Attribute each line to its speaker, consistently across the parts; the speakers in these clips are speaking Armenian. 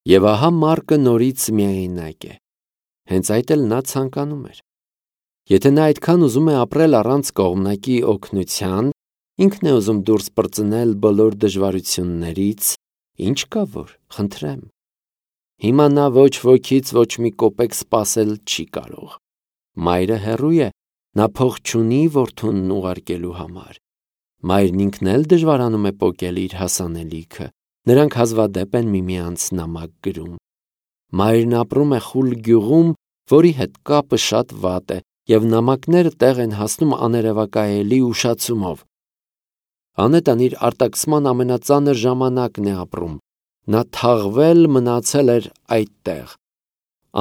Speaker 1: Եվ ահա Մարկը նորից միայնակ է։ Հենց այդ էլ նա ցանկանում էր։ Եթե նա այդքան ուզում է ապրել առանց կողմնակի օգնության, ինքն է ուզում դուրս պրծնել բոլոր դժվարություններից, ինչ կա որ, խնդրեմ։ Հիմա նա ոչ ոքից ոչ մի կոպեկ սպասել չի կարող։ Մայրը հեռու է, նա փող չունի որդուն ուղարկելու համար։ Մայրն ինքն էլ դժվարանում է պոկել իր հասանելիքը, նրանք հազվադեպ են միմյանց նամակ գրում։ Մայրն ապրում է խուլ գյուղում, որի հետ կապը շատ վատ է, և նամակները տեղ են հասնում աներևակայելի ուշացումով։ Անետան իր արտաքսման ամենածանր ժամանակն է ապրում, նա թաղվել մնացել էր այդտեղ։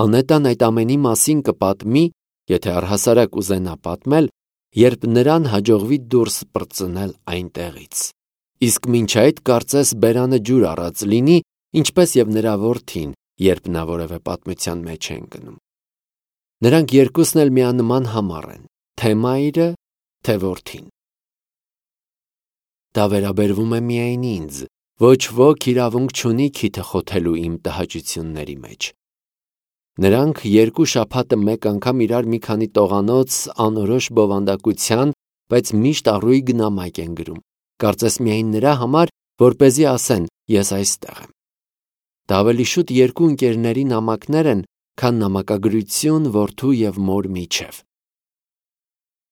Speaker 1: Անետան այդ ամենի մասին կպատմի, եթե առհասարակ ուզենա պատմել, երբ նրան հաջողվի դուրս պրծնել այնտեղից։ Իսկ մինչ այդ կարծես բերանը ջուր առած լինի, ինչպես և նրա որդին, երբ նա որևէ պատմության մեջ է ընկնում։ Նրանք երկուսն էլ միանման համառ են, թե մայրը, թե որդին։ Դա վերաբերվում է միայն ինձ, ոչ ոք իրավունք չունի քիթը խոթելու իմ տհաճությունների մեջ։ Նրանք երկու շաբաթը մեկ անգամ իրար մի քանի տողանոց անորոշ բովանդակության, բայց միշտ առույգ նամակ են գրում, կարծես միայն նրա համար, որպեսզի ասեն ես այստեղ եմ։ Դա ավելի շուտ երկու ընկերների նամակներ են, քան նամակագրություն որդու և մոր միջև։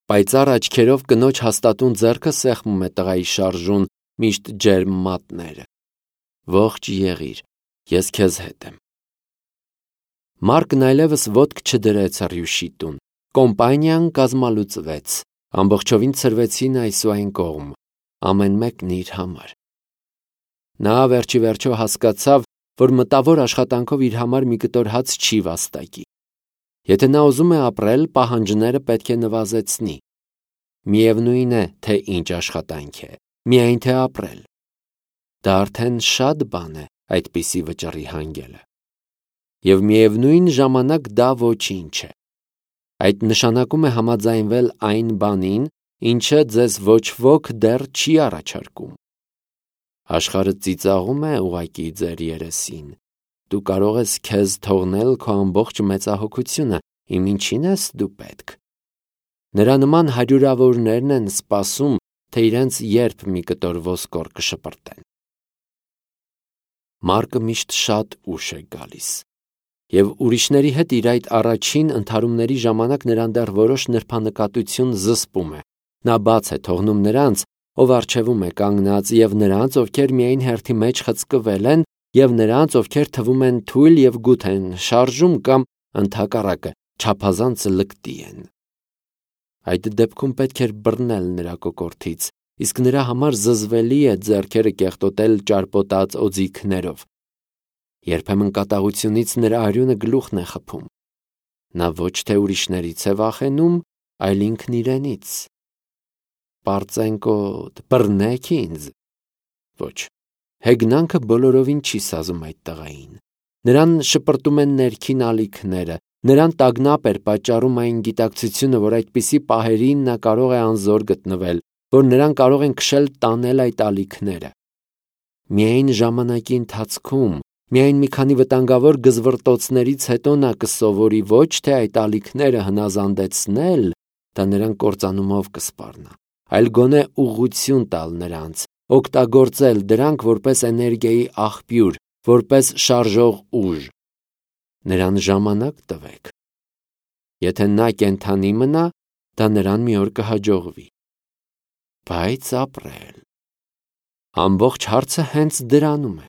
Speaker 1: Պայծառ աչքերով կնոջ հաստատուն ձեռքը սեղմում է տղայի շարժուն, միշտ ջերմ մատները։ Ողջ եղիր, ես քեզ հետ եմ։ Մարկն այլևս ոտք չդրեց Ռյուշի տուն։ Կոմպանիան կազմալուծվեց, ամբողջովին ցրվեցին այս ու այն կողմ, ամեն մեկն իր համար։ Նա վերջի վերջո հասկացավ, որ մտավոր աշխատանքով իր համար մի կտոր հաց չի վաստակի։ Եթե նա ուզում է ապրել, պահանջները պետք է նվազեցնի։ Միևնույն է, թե ինչ աշխատանք է, միայն թե ապրել։ Դա արդեն շատ բան է այդպիսի վճռի հանգելը։ Եվ միևնույն ժամանակ դա ոչինչ է։ Այդ նշանակում է համաձայնվել այն բանին, ինչը ձեզ ոչ ոք դեռ չի առաջարկում։ Աշխարհը ծիծաղում է ուղղակի ձեր երեսին։ Դու կարող ես քեզ թողնել քո ամբողջ մեծահոգությունը, իմ ինչին ես դու պետք։ Նրա նման հարյուրավորներն են սպասում, թե իրենց երբ մի կտոր ոսկոր կշպրտեն։ Մարկը միշտ շատ ուշ է գալիս։ Եվ ուրիշների հետ իր այդ առաջին ընդհարումների ժամանակ նրան դեռ որոշ նրբանկատություն զսպում է։ Նա բաց է թողնում նրանց, ով առջևում է կանգնած, և նրանց, ովքեր միայն հերթի մեջ խցկվել են, և նրանց, ովքեր թվում են թույլ և գութ են շարժում կամ ընդհակառակը չափազանց լկտի են։ Այդ դեպքում պետք էր բռնել նրա կոկորդից, իսկ նրա համար զզվելի է ձեռքերը կեղտոտել ճարպոտած օձիքներով։ Երբեմն կատաղությունից նրա արյունը գլուխն է խփում։ Նա ոչ թե ուրիշներից է վախենում, այլ ինքն իրենից։ Պարծենկոտ, բռնեք ինձ։ Ոչ, հեգնանքը բոլորովին չի սազում այդ տղային։ Նրան շպրտում են ներքին ալիքները, նրան տագնապ էր պատճառում այն գիտակցությունը, որ այդպիսի պահերին նա կարող է անզոր գտնվել, որ նրան կարող են քշել տանել այդ ալիքները։ Միայն ժամանակի ընթացքում, միայն մի քանի վտանգավոր գզվռտոցներից հետո նա կսովորի ոչ թե այդ ալիքները հնազանդեցնել, դա նրան կործանումով կսպառնա, այլ գոնե ուղղություն տալ նրանց, օգտագործել դրանք որպես էներգիայի աղբյուր, որպես շարժող ուժ։ Նրան ժամանակ տվեք։ Եթե նա կենդանի մնա, դա նրան մի օր կհաջողվի։ Բայց ապրել։ Ամբողջ հարցը հենց դրանում է։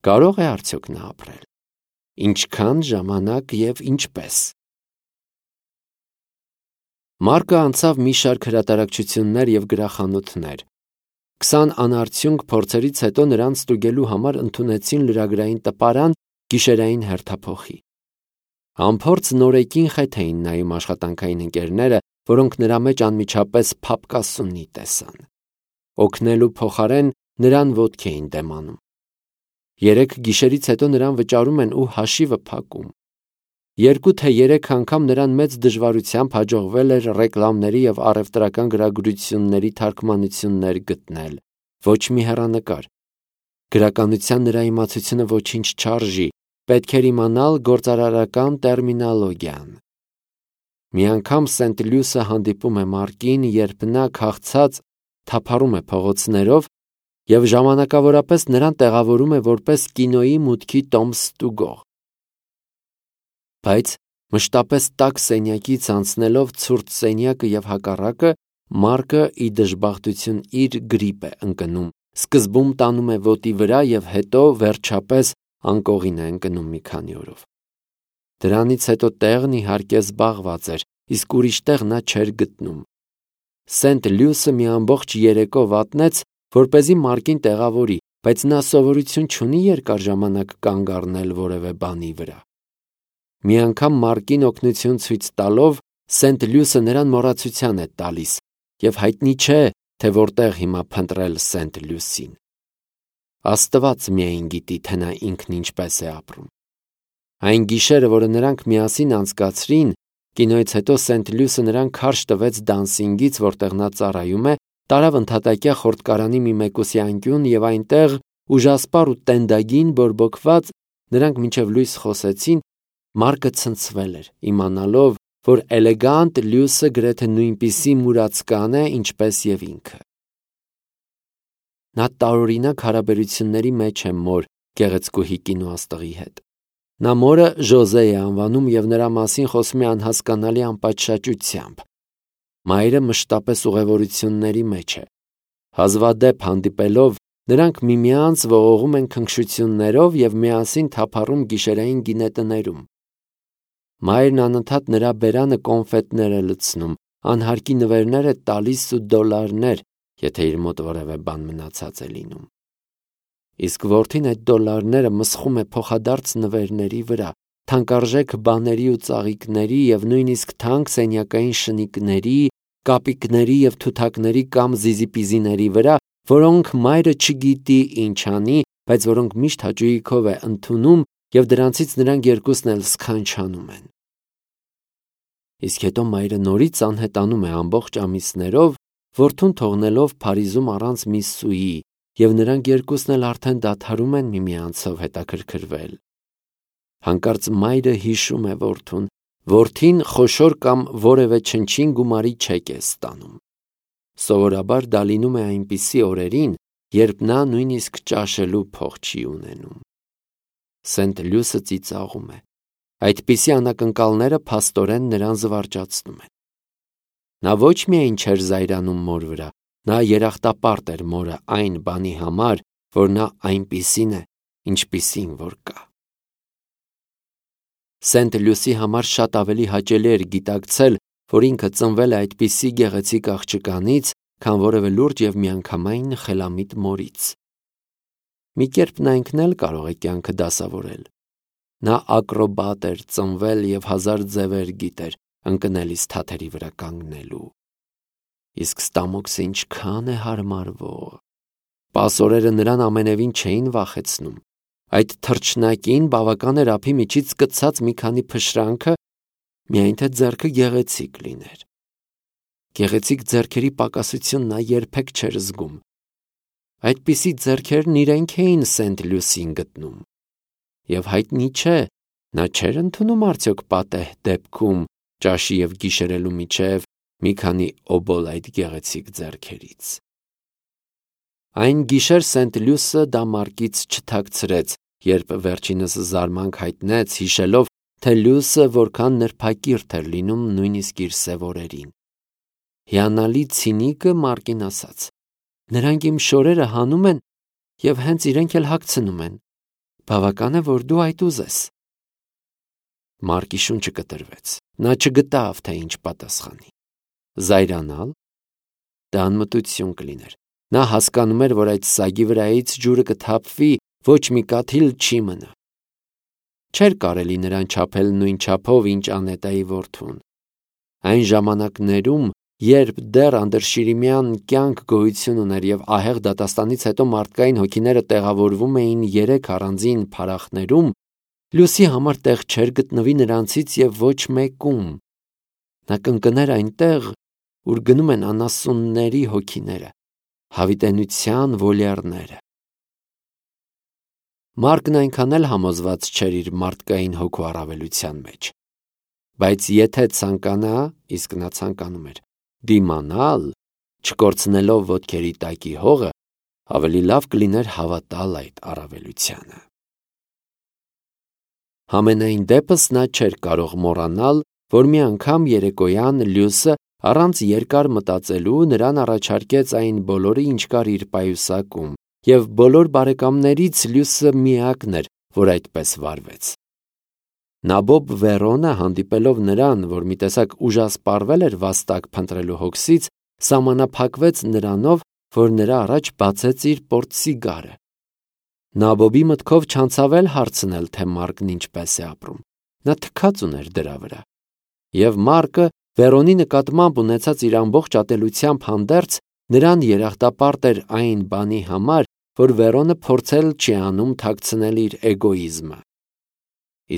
Speaker 1: Կարող է արդյոք նա ապրել։ Ինչքան ժամանակ և ինչպես։ Մարկը անցավ մի շարք հրատարակչություններ և գրախանութներ։ 20 անարդյունք փորձերից հետո նրան ստուգելու համար ընդունեցին լրագրային տպարան գիշերային հերթափոխի։ Անփորձ նորեկին խեթ էին նայում աշխատանքային ընկերները, որոնք նրա մեջ անմիջապես փափկասունի տեսան։ Օգնելու փոխարեն նրան ոտք էին դեմանում։ 3 գիշերից հետո նրան վճարում են ու հաշիվը փակում։ 2 թե 3 անգամ նրան մեծ դժվարությամբ հաջողվել էր ռեկլամների և առևտրական գրագրությունների թարգմանություններ գտնել, ոչ մի հեռանկար։ Գրականության նրա իմացությունը ոչինչ չարժի, պետք էր իմանալ գործարարական տերմինոլոգիան։ Մի անգամ Սենտ Լյուսը հանդիպում է Մարկին, երբ նա քաղցած թափառում է փողոցներով և ժամանակավորապես նրան տեղավորում է որպես կինոյի մուտքի տոմ ստուգող։ Բայց մշտապես տաք սենյակից անցնելով ցուրտ սենյակը և հակառակը, Մարկը ի դժբախտություն իր գրիպ է ընկնում, սկզբում տանում է ոտի վրա և հետո վերջապես անկողին է ընկնում մի քանի օրով։ Դրանից հետո տեղն իհարկե զբաղված էր, իսկ ուրիշ տեղ նա չէր գտնում։ Սենտ Լյուսը մի ամբողջ երեկո վատնեց, որպեսզի Մարկին տեղավորի, բայց նա սովորություն չունի երկար ժամանակ կանգ առնել որևէ բանի վրա։ Մի անգամ Մարկին օգնություն ցույց տալով, Սենտ Լյուսը նրան մոռացության է տալիս, և հայտնի չէ, թե որտեղ հիմա փնտրել Սենտ Լյուսին։ Աստված միայն գիտի, թե նա ինքն ինչպես է ապրում։ Այն գիշերը, որը նրանք միասին անցկացրին, կինոյից հետո Սենտ Լյուսը նրան քարշ տվեց դանսինգից, որտեղ նա ծառայում է, տարավ ընդհատակյա խորտկարանի մի մեկուսի անկյուն և այնտեղ, ուժասպառ ու տենդագին բորբոքված, նրանք մինչև լույս խոսեցին, Մարկը ցնցվել էր, իմանալով, որ էլեգանտ Լյուսը գրեթե նույնպիսի մուրացկան է, ինչպես և ինքը։ Նա տարօրինակ հարաբերությունների մեջ է մոր գեղեցկուհի կինոաստղի հետ։ Նա մորը Ժոզե է անվանում և նրա մասին խոսում է անհասկանալի անպատշաճությամբ։ Մայրը մշտապես ուղևորությունների մեջ է։ Հազվադեպ հանդիպելով, նրանք միմյանց ողողում են քնքշություններով և միասին թափառում գիշերային գինետներում։ Մայրն անընդհատ նրա բերանը կոնֆետներ է լցնում, անհարկի նվերներ է տալիս ու դոլարներ, եթե իր մոտ որևէ բան մնացած է լինում։ Իսկ որդին այդ դոլարները մսխում է փոխադարձ նվերների վրա, թանկարժեք բաների ու ծաղիկների և նույնիսկ թանկ սենյակային շնիկների, կապիկների և թութակների կամ զիզիպիզիների վրա, որոնք մայրը չգիտի ինչ անի, բայց որոնք միշտ հաճույքով է ընդունում և դրանցից նրանք երկուսն էլ սքանչանում են։ Իսկ հետո մայրը նորից անհետանում է ամբողջ ամիսներով, որդուն թողնելով Փարիզում առանց մի սուի, և նրանք երկուսն էլ արդեն դադարում են միմյանցով հետաքրքրվել։ Հանկարծ մայրը հիշում է որդուն, որդին խոշոր կամ որևէ չնչին գումարի չեկ է ստանում։ Սովորաբար դա լինում է այնպիսի օրերին, երբ նա նույնիսկ ճաշելու փող չի ունենում։ Սենտ Լյուսը ծիծաղում է։ Այդպիսի անակնկալները փաստորեն նրան զվարճացնում են։ Նա ոչ միայն չէր զայրանում մոր վրա, նա երախտապարտ էր մորը այն բանի համար, որ նա այնպիսին է, ինչպիսին որ կա։ Սենտ Լյուսի համար շատ ավելի հաճելի էր գիտակցել, որ ինքը ծնվել է այդպիսի գեղեցիկ աղջկանից, քան որևէ լուրջ և միանգամայն խելամիտ մորից։ Մի կերպ նա ինքն էլ կարող է կյանքը դասավորել։ Նա ակրոբատ էր ծնվել և հազար ձևեր գիտեր ընկնելիս թաթերի վրա կանգնելու։ Իսկ Ստամոքսը ինչքան է հարմարվող։ Սպասորերը նրան ամենևին չէին վախեցնում։ Այդ թռչնակին բավական էր ափի միջից կցած մի քանի փշրանքը, միայն թե ձեռքը գեղեցիկ լիներ։ Գեղեցիկ ձեռքերի պակասություն նա երբեք չէր զգում։ Այդպիսի ձեռքերն իրենք էին Սենտ Լյուսին գտնում։ Եվ հայտնի չէ, նա չէր ընդունում արդյոք պատեհ դեպքում ճաշի և գիշերելու միջև մի քանի օբոլ այդ գեղեցիկ ձեռքերից։ Այն գիշեր Սենտ Լյուսը դա Մարկից չթաքցրեց, երբ վերջինս զարմանք հայտնեց, հիշելով, թե Լյուսը որքան նրբակիրթ էր լինում նույնիսկ իր սև օրերին։ Հիանալի ցինիկը Մարկին ասաց. «Նրանք իմ շորերը հանում են և հենց իրենք էլ հագցնում են։ Բավական է, որ դու այդ ուզես»։ Մարկի շունչը կտրվեց։ Նա չգտավ, թե ինչ պատասխանի։ Զայրանալ։ Դա անմտություն կլիներ։ Նա հասկանում էր, որ այդ սագի վրայից ջուրը կթափվի, ոչ մի կաթիլ չի մնա։ Չէր կարելի նրան չափել նույն չափով, ինչ Անետայի որդուն։ Այն ժամանակներում, երբ դեռ անդրշիրիմյան կյանք գոյություն ուներ և ահեղ դատաստանից հետո մարդկային հոգիները տեղավորվում էին 3 առանձին փարախներում, Լյուսի համար տեղ չէր գտնվի նրանցից և ոչ մեկում։ Նա կընկներ այնտեղ, ուր գնում են անասունների հոգիները, հավիտենության վոլյարները։ Մարկն այնքան էլ համոզված չէր իր մարդկային հոգու առավելության մեջ։ Բայց եթե ցանկանա, իսկ նա ցանկանում էր դիմանալ, չկորցնելով ոտքերի տակի հողը, ավելի լավ կլիներ հավատալ այդ առավելությանը։ Համենայն դեպս նա չէր կարող մոռանալ, որ մի անգամ երեկոյան Լյուսը առանց երկար մտածելու նրան առաջարկեց այն բոլորը, ինչ կար իր պայուսակում, և բոլոր բարեկամներից Լյուսը միակն էր, որ այդպես վարվեց։ Նաբոբ Վերոնը, հանդիպելով նրան, որ մի տեսակ ուժասպառվել էր վաստակ փնտրելու հոգսից, սահմանափակվեց նրանով, որ նրա առաջ բացեց իր պորտսիգարը։ Նաբոբի մտքով չանցավ էլ հարցնել, թե Մարկն ինչպես է ապրում։ Նա թքած ուներ դրա վրա։ Եվ Մարկը Վերոնի նկատմամբ ունեցած իր ամբողջ ատելությամբ հանդերձ նրան երախտապարտ էր այն բանի համար, որ Վերոնը փորձել չի անում թաքցնել իր էգոիզմը։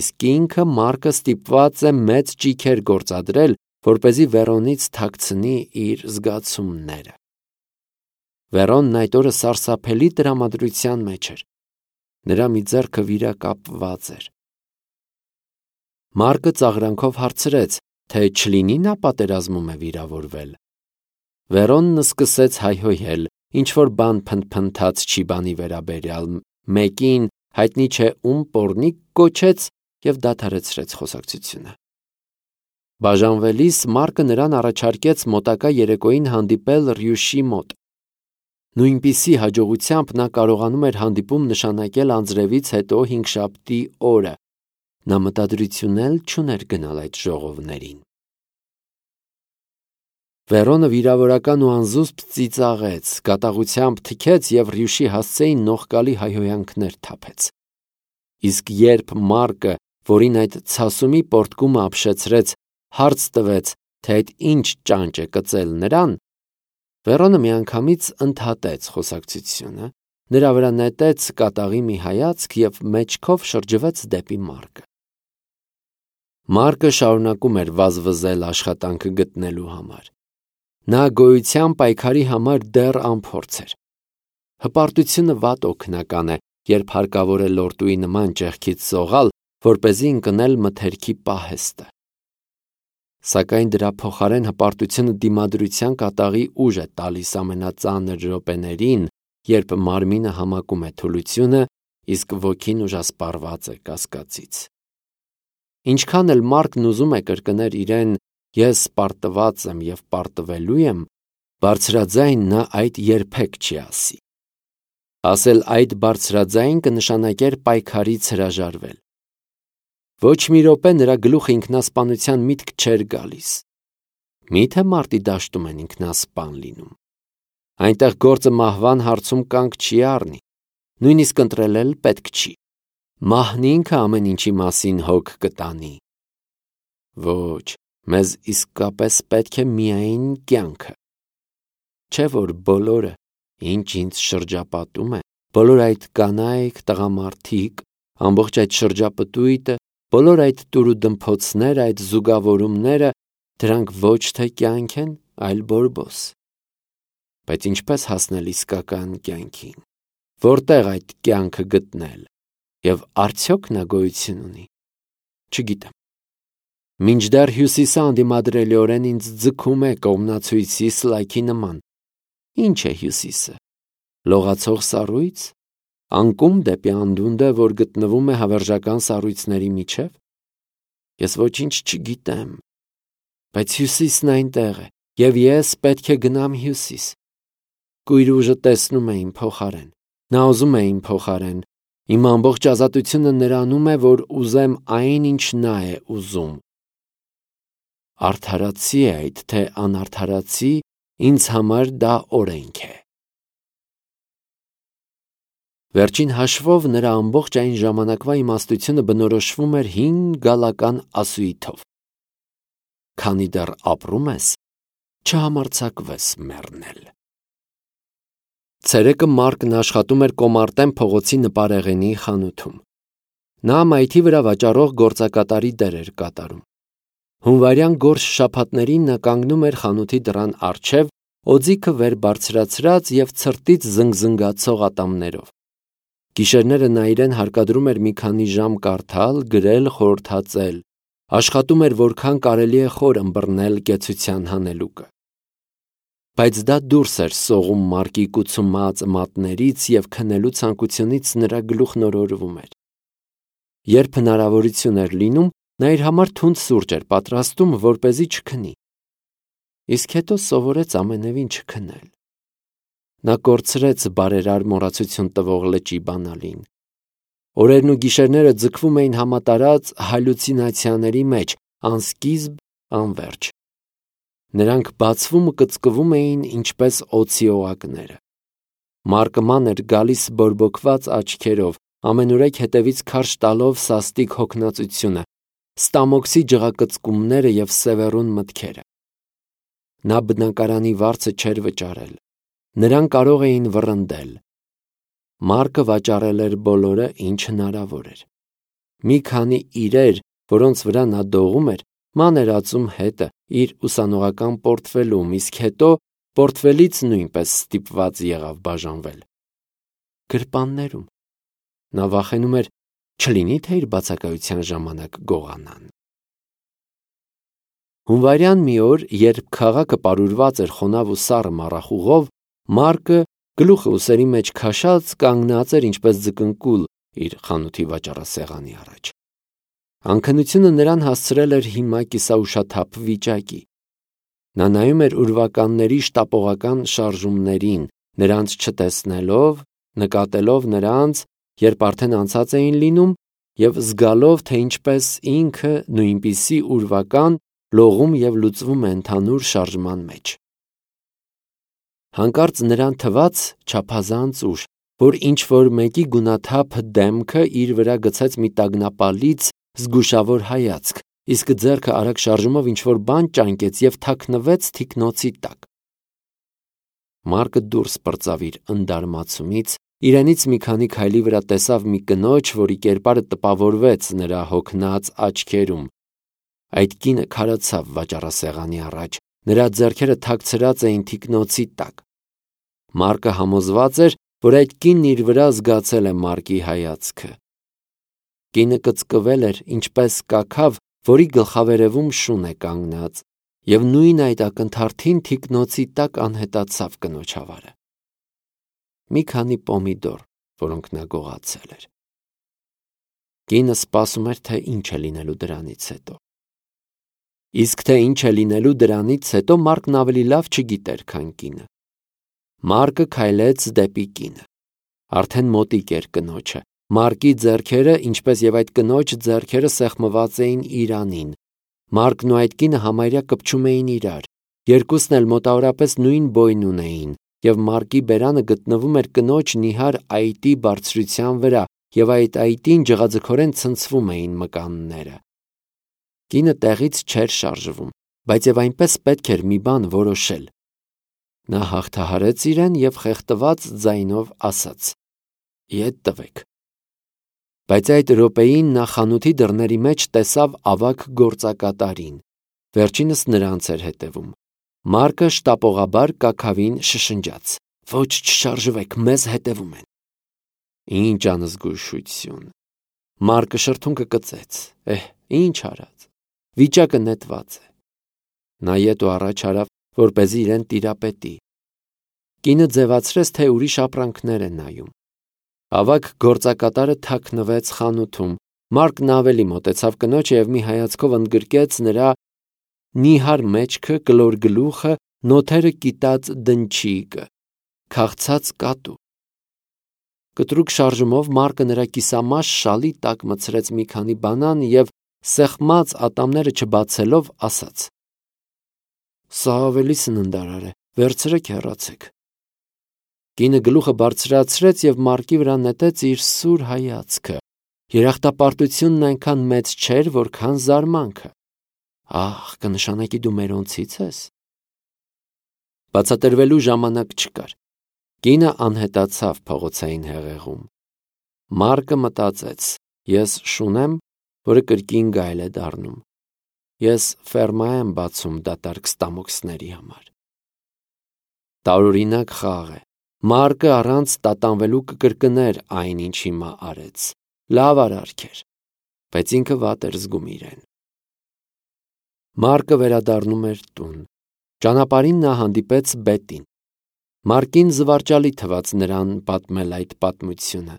Speaker 1: Իսկ ինքը Մարկը ստիպված է մեծ ճիգեր գործադրել, որպեսզի Վերոնից թաքցնի իր զգացումները։ Վերոնն այդ օրը սարսափելի տրամադրության մեջ էր։ Նրա մի ձեռքը վիրակապված էր։ Մարկը ծաղրանքով հարցրեց, թե չլինի նա պատերազմում է վիրավորվել։ Վերոնն սկսեց հայհոյել, ինչ-որ բան փնթփնթաց չի բանի վերաբերյալ, մեկին հայտնի չէ ում պոռնիկ կոչեց և դադարեցրեց խոսակցությունը։ Բաժանվելիս Մարկը նրան առաջարկեց մոտակա երեկոյին հանդիպել Ռյուշի մոտ։ Նույնպիսի հաջողությամբ նա կարողանում էր հանդիպում նշանակել անձրևից հետո հինգշաբթի օրը։ Նա մտադրություն էլ չուներ գնալ այդ ժողովներին։ Վերոնը վիրավորական ու անզուսպ ծիծաղեց, կատաղությամբ թքեց և Ռյուշի հասցեին նողկալի հայհոյանքներ թափեց։ Իսկ երբ Մարկը, որին այդ ցասումի պոռթկումը ապշեցրեց, հարց տվեց, թե այդ ինչ ճանճ է կծել նրան, Վերոնը միանգամից ընդհատեց խոսակցությունը, նրա վրա նետեց կատաղի մի հայացք և մեջքով շրջվեց դեպի Մարկը։ Մարկը շարունակում էր վազվզել աշխատանքը գտնելու համար։ Նա գոյության պայքարի համար դեռ անփորձ էր։ Հպարտությունը վատ օգնական է, երբ հարկավոր է լորտուի նման ճեղքից սողալ, որպեսզի ընկնել մթերքի պահեստը։ Սակայն դրա փոխարեն հպարտությունը դիմադրության կատաղի ուժ է տալիս ամենածանր րոպեներին, երբ մարմինը համակում է թուլությունը, իսկ ոգին ուժասպառված է կասկածից։ Ինչքան էլ Մարկն ուզում է կրկնել իրեն «ես պարտված եմ և պարտվելու եմ», բարձրաձայն նա այդ երբեք չի ասի։ Ասել այդ բարձրաձայն կնշանակեր պայքարից հրաժարվել։ Ոչ մի րոպե նրա գլուխը ինքնասպանության միտք չէր գալիս։ Մի՞թե մարտի դաշտում են ինքնասպան լինում։ Այնտեղ գործը մահվան հարցում կանգ չի առնի, նույնիսկ ընտրել էլ պետք չի։ Մահն ինքը ամեն ինչի մասին հոգ կտանի։ Ոչ, մեզ իսկապես պետք է միայն կյանքը։ Չէ՞ որ բոլորը, ինչ ինձ շրջապատում է, բոլոր այդ կանայք, տղամարդիկ, ամբողջ այդ շրջապտույտը, բոլոր այդ տուրուդմփոցները, այդ զուգավորումները, դրանք ոչ թե կյանք են, այլ բորբոս։ Բայց ինչպես հասնել իսկական կյանքին։ Որտեղ այդ կյանքը գտնել։ Եվ արդյոք նա գոյություն ունի։ Չգիտեմ։ Մինչդեռ հյուսիսը անդիմադրելիորեն ինձ ձգում է կողմնացույցի սլայքի նման։ Ինչ է հյուսիսը։ Լողացող սառույց։ Անկում դեպի անդունդը, որ գտնվում է հավերժական սառույցների միջև։ Ես ոչինչ չգիտեմ։ Բայց հյուսիսն այնտեղ է, և ես պետք է գնամ հյուսիս։ Կույր ուժը տեսնում է իմ փոխարեն։ Նա ուզում է իմ փոխարեն։ Իմ ամբողջ ազատությունը նրանում է, որ ուզեմ այն, ինչ նա է ուզում։ Արդարացի է այդ, թե անարդարացի, ինձ համար դա օրենք է։ Վերջին հաշվով նրա ամբողջ այն ժամանակվա իմաստությունը բնորոշվում էր 5 գալական ասույթով. քանի դեռ ապրում ես, չհամարձակվես մեռնել։ Ցերեկը Մարկն աշխատում էր Կոմարտեն փողոցի նպարեղենի խանութում։ Նա մայթի վրա վաճառող գործակատարի դեր էր կատարում։ Հունվարյան գորշ շաբաթներին նա կանգնում էր խանութի դռան առջև, օձիքը վեր բարձրացրած և ցրտից զնգզնգացող ատամներով։ Գիշերները նա իրեն հարկադրում էր մի քանի ժամ կարդալ, գրել, խորհրդածել, աշխատում էր որքան կարելի է խոր ըմբռնել կեցության հանելուկը։ Բայց դա դուրս էր սողում Մարկի կուցումած մատներից և քնելու ցանկությունից նրա գլուխն օրորվում էր։ Երբ հնարավորություն էր լինում, նա իր համար թունդ սուրճ էր պատրաստում, որպեսզի չքնի։ Իսկ հետո սովորեց ամենևին չքնել։ Նա կորցրեց բարերար մոռացություն տվող լճի բանալին։ Օրերն ու գիշերները ձգվում էին համատարած հալյուցինացիաների մեջ, անսկիզբ, անվերջ։ Նրանք բացվում ու կծկվում էին ինչպես օձի օղակները։ Մարկը ման էր գալիս բորբոքված աչքերով, ամենուրեք հետևից քարշ տալով սաստիկ հոգնածությունը, ստամոքսի ջղակծկումները և սևեռուն մտքերը։ Նա բնակարանի վարձը չէր վճարել։ Նրան կարող էին վռնդել։ Մարկը վաճառել էր բոլորը, ինչ հնարավոր էր։ Մի քանի իրեր, որոնց վրա նա դողում էր, ման էր ածում հետը իր ուսանողական պորտֆելում, իսկ հետո պորտֆելից նույնպես ստիպված եղավ բաժանվել։ Գրպաններում։ Նա վախենում էր, չլինի թե իր բացակայության ժամանակ գողանան։ Հունվարյան մի օր, երբ քաղաքը պարուրված էր խոնավ ու սառը մառախուղով, Մարկը, գլուխը ուսերի մեջ քաշած, կանգնած էր ինչպես ձկնկուլ իր խանութի վաճառասեղանի առաջ։ Անքնությունը նրան հասցրել էր հիմա կիսաուշաթափ վիճակի։ Նա նայում էր ուրվականների շտապողական շարժումներին, նրանց չտեսնելով, նկատելով նրանց, երբ արդեն անցած էին լինում, և զգալով, թե ինչպես ինքը նույնպիսի ուրվական լողում և լուծվում է ընդհանուր շարժման մեջ։ Հանկարծ նրան թվաց չափազանց ուշ, որ ինչ-որ մեկի գունաթափ դեմքը իր վրա գցեց մի տագնապալից զգուշավոր հայացք, իսկ ձեռքը արագ շարժումով ինչ-որ բան ճանկեց և թաքնվեց թիկնոցի տակ։ Մարկը դուրս պրծավ իր ընդարմացումից, իրենից մի քանի քայլի վրա տեսավ մի կնոջ, որի կերպարը տպավորվեց նրա հոգնած աչքերում։ Այդ կինը քարացավ վաճառասեղանի առաջ, նրա ձեռքերը թաքցրած էին թիկնոցի տակ։ Մարկը համոզված էր, որ այդ կինն իր վրա զգացել է Մարկի հայացքը։ Կինը կծկվել էր, ինչպես կաքավ, որի գլխավերևում շուն է կանգնած, և նույն այդ ակնթարթին թիկնոցի տակ անհետացավ կնոջ ավարը։ Մի քանի պոմիդոր, որոնք նա գողացել էր։ Կինը սպասում էր, թե ինչ է լինելու դրանից հետո։ Իսկ թե ինչ է լինելու դրանից հետո Մարկն ավելի լավ չգիտեր, քան կինը։ Մարկը քայլեց դեպի կինը։ Արդեն մոտիկ էր կնոջը։ Մարկի ձեռքերը, ինչպես և այդ կնոջ ձեռքերը, սեղմված էին իրանին։ Մարկն ու այդ կինը համարյա կպչում էին իրար։ Երկուսն էլ մոտավորապես նույն բոյն ունեին, և Մարկի բերանը գտնվում էր կնոջ նիհար այտի բարձրության վրա, և այդ այտին ջղաձգորեն ցնցվում էին մկանները։ Կինը տեղից չէր շարժվում, բայց և այնպես պետք էր մի բան որոշել։ Նա հաղթահարեց իրեն և խեղդված ձայնով ասաց. «Ետ տվեք»։ Բայց այդ րոպեին նա խանութի դռների մեջ տեսավ ավագ գործակատարին։ Վերջինս նրանց էր հետևում։ Մարկը շտապողաբար կաքավին շշնջաց. «Ոչ, չշարժվեք, մեզ հետևում են»։ Ինչ անզգուշություն։ Մարկը շրթունքը կծեց։ Ինչ արած։ Վիճակը նետված է։ Նա ետ ու առաջ արավ, որպեսզի իրեն տիրապետի։ Կինը ձևացրեց, թե ուրիշ ապրանքներ է նայում։ Ավագ գործակատարը թաքնվեց խանութում։ Մարկն ավելի մոտեցավ կնոջը և մի հայացքով ընդգրկեց նրա նիհար մեջքը, կլոր գլուխը, նոթերը կիտած դնչիկը, քաղցած կատու։ Կտրուկ շարժումով Մարկը նրա կիսամաշ շալի տակ մտցրեց մի քանի բանան և սեղմած ատամները չբացելով ասաց. «Սա ավելի սննդարար է, վերցրեք, հեռացեք»։ Կինը գլուխը բարձրացրեց և Մարկի վրա նետեց իր սուր հայացքը։ Երախտապարտությունն այնքան մեծ չէր, որքան զարմանքը։ Ահ, կնշանակի դու մերոնցից ես։ Բացատրվելու ժամանակ չկար։ Կինը անհետացավ փողոցային հեղեղում։ Մարկը մտածեց. ես շուն եմ, որը կրկին գայլ է դառնում։ Ես ֆերմա եմ բացում դատարկ ստամոքսների համար։ Տարօրինակ խաղ է, Մարկը առանց տատանվելու կկրկներ այն, ինչ հիմա արեց։ Լավ արարք էր, բայց ինքը վատ էր զգում իրեն։ Մարկը վերադառնում էր տուն։ Ճանապարհին նա հանդիպեց Բետին։ Մարկին զվարճալի թվաց նրան պատմել այդ պատմությունը։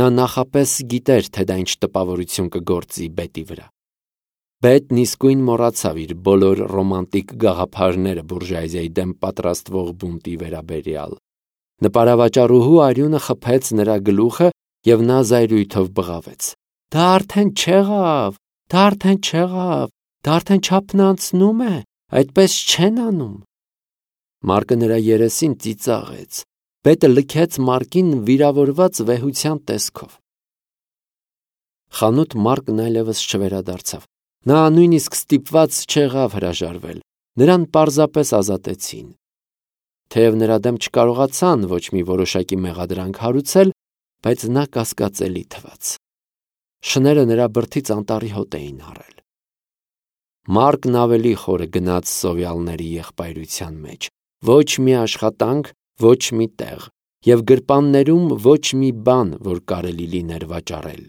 Speaker 1: Նա նախապես գիտեր, թե դա ինչ տպավորություն կգործի Բետի վրա։ Բետն իսկույն մոռացավ իր բոլոր ռոմանտիկ գաղափարները բուրժուազիայի դեմ պատրաստվող բունտի վերաբերյալ։ Նպարավաճառուհու արյունը խփեց նրա գլուխը, եւ նա զայրույթով բղավեց. «Դա արդեն չեղավ, դա արդեն չեղավ, դա արդեն չափն անցնում է, այդպես չեն անում»։ Մարկը նրա երեսին ծիծաղեց։ Բետը լքեց Մարկին վիրավորված վեհության տեսքով։ Խանութ Մարկն այլևս չվերադարձավ։ Նա նույնիսկ ստիպված չեղավ հրաժարվել, նրան պարզապես ազատեցին։ Թեև նրա դեմ չկարողացան ոչ մի որոշակի մեղադրանք հարուցել, բայց նա կասկածելի թվաց։ Շները նրա բրդից անտառի հոտ էին առել։ Մարկն ավելի խորը գնաց սովյալների եղբայրության մեջ, ոչ մի աշխատանք, ոչ մի տեղ, եւ գրպաններում ոչ մի բան, որ կարելի լիներ վաճառել։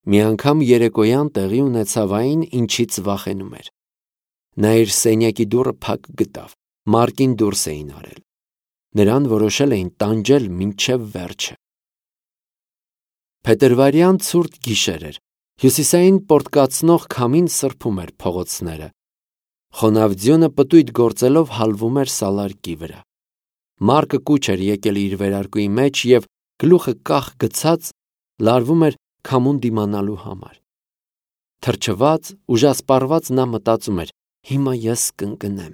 Speaker 1: Մի անգամ երեկոյան տեղի ունեցավ այն, ինչից վախենում էր։ Նա իր սենյակի դուռը փակ գտավ։ Մարկին դուրս էին արել։ Նրան որոշել էին տանջել մինչև վերջը։ Փետրվարյան ցուրտ գիշեր էր։ Հյուսիսային պորտկացնող քամին սրբում էր փողոցները։ Խոնավ ձյունը պտույտ գործելով հալվում էր սալարկի վրա։ Մարկը կուչ էր եկել իր վերարկուի մեջ եւ գլուխը կախ գցած լարվում էր քամուն դիմանալու համար։ Թրջված, ուժասպառված նա մտածում էր. հիմա ես կընկնեմ։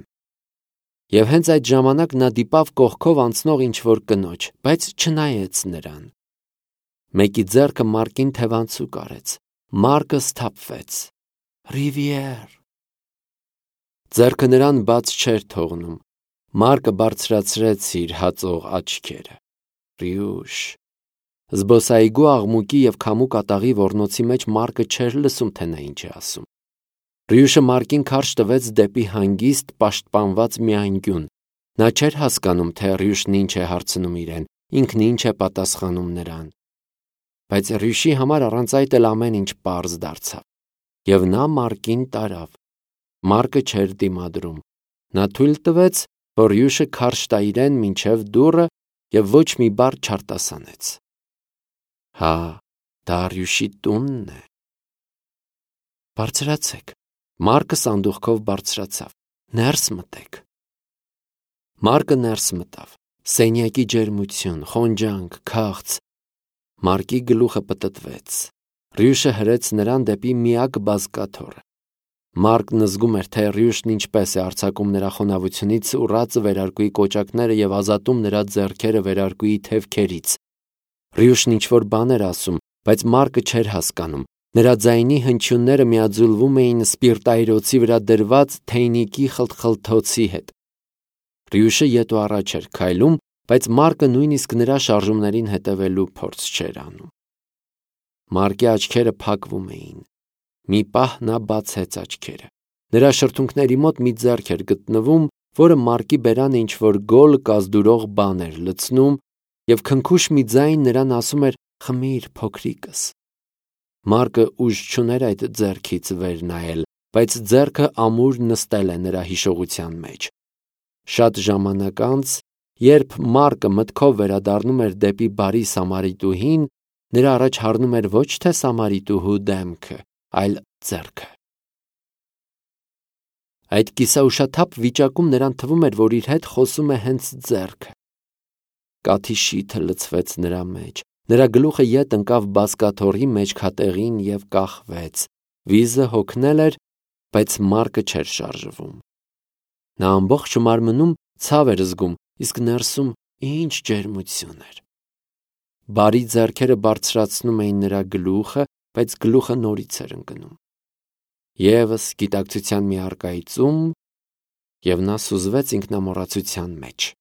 Speaker 1: Եվ հենց այդ ժամանակ նա դիպավ կողքով անցնող ինչ-որ կնոջ, բայց չնայեց նրան։ Մեկի ձեռքը Մարկին թևանցուկ արեց։ Մարկը սթափվեց։ Ռիվիեր։ Ձեռքը նրան բաց չէր թողնում։ Մարկը բարձրացրեց իր հածող աչքերը։ Ռյուշ։ Զբոսայգու աղմուկի եւ քամու կատաղի ոռնոցի մեջ Մարկը չէր լսում, թե նա ինչ է ասում։ Ռյուշը Մարկին քարշ տվեց դեպի հանգիստ պաշտպանված մի անկյուն։ Նա չէր հասկանում, թե Ռյուշն ինչ է հարցնում իրեն, ինքն ինչ է պատասխանում նրան։ Բայց Ռյուշի համար առանց այդ էլ ամեն ինչ պարզ դարձավ։ Եվ նա Մարկին տարավ։ Մարկը չէր դիմադրում։ Նա թույլ տվեց, որ Ռյուշը քարշ տա իրեն մինչև դուռը եւ ոչ մի բառ չարտասանեց։ Հա, դա Ռյուշի տունն է։ Բարձրացեք։ Մարկը սանդուղքով բարձրացավ։ Ներս մտեք։ Մարկը ներս մտավ։ Սենյակի ջերմություն, խոնջանք, քաղց։ Մարկի գլուխը պտտվեց։ Ռյուշը հրեց նրան դեպի միակ բազկաթոռը։ Մարկն զգում էր, թե Ռյուշն ինչպես է արձակում նրա խոնավությունից ուռած վերարկուի կոճակները եւ ազատում նրա ձեռքերը վերարկուի թևքերից։ Ռյուշն ինչ-որ բան էր ասում, բայց Մարկը չէր հասկանում։ Նրա ձայնի հնչյունները միաձուլվում էին սպիրտայրոցի վրա դրված թեյնիկի խլթխլթոցի հետ։ Ռյուշը ետ ու առաջ էր քայլում, բայց Մարկը նույնիսկ նրա շարժումներին հետևելու փորձ չէր անում։ Մարկի աչքերը փակվում էին։ Մի պահ նա բացեց աչքերը։ Նրա շրթունքների մոտ մի ձեռք էր գտնվում, որը Մարկի բերանը ինչ-որ գոլ կազդուրող բան էր լցնում, եւ քնքուշ մի ձայն նրան ասում էր. «Խմիր, փոքրիկս»։ Մարկը ուժ չուներ այդ ձեռքից վեր նայել, բայց ձեռքը ամուր նստել է նրա հիշողության մեջ։ Շատ ժամանակ անց, երբ Մարկը մտքով վերադառնում էր դեպի բարի Սամարիտուհին, նրա առաջ հառնում էր ոչ թե Սամարիտուհու դեմքը, այլ ձեռքը։ Այդ կիսաուշաթափ վիճակում նրան թվում էր, որ իր հետ խոսում է հենց ձեռքը։ Կաթի շիթը լցվեց նրա մեջ։ Նրա գլուխը ետ ընկավ բազկաթոռի մեջքատեղին եւ կախվեց։ Վիզը հոգնել էր, բայց Մարկը չէր շարժվում։ Նա ամբողջ մարմնում ցավ էր զգում, իսկ ներսում ինչ ջերմություն էր։ Բարի ձեռքերը բարձրացնում էին նրա գլուխը, բայց գլուխը նորից էր ընկնում։ Եվս գիտակցության մի առկայծում, եւ նա սուզվեց ինքնամոռացության մեջ։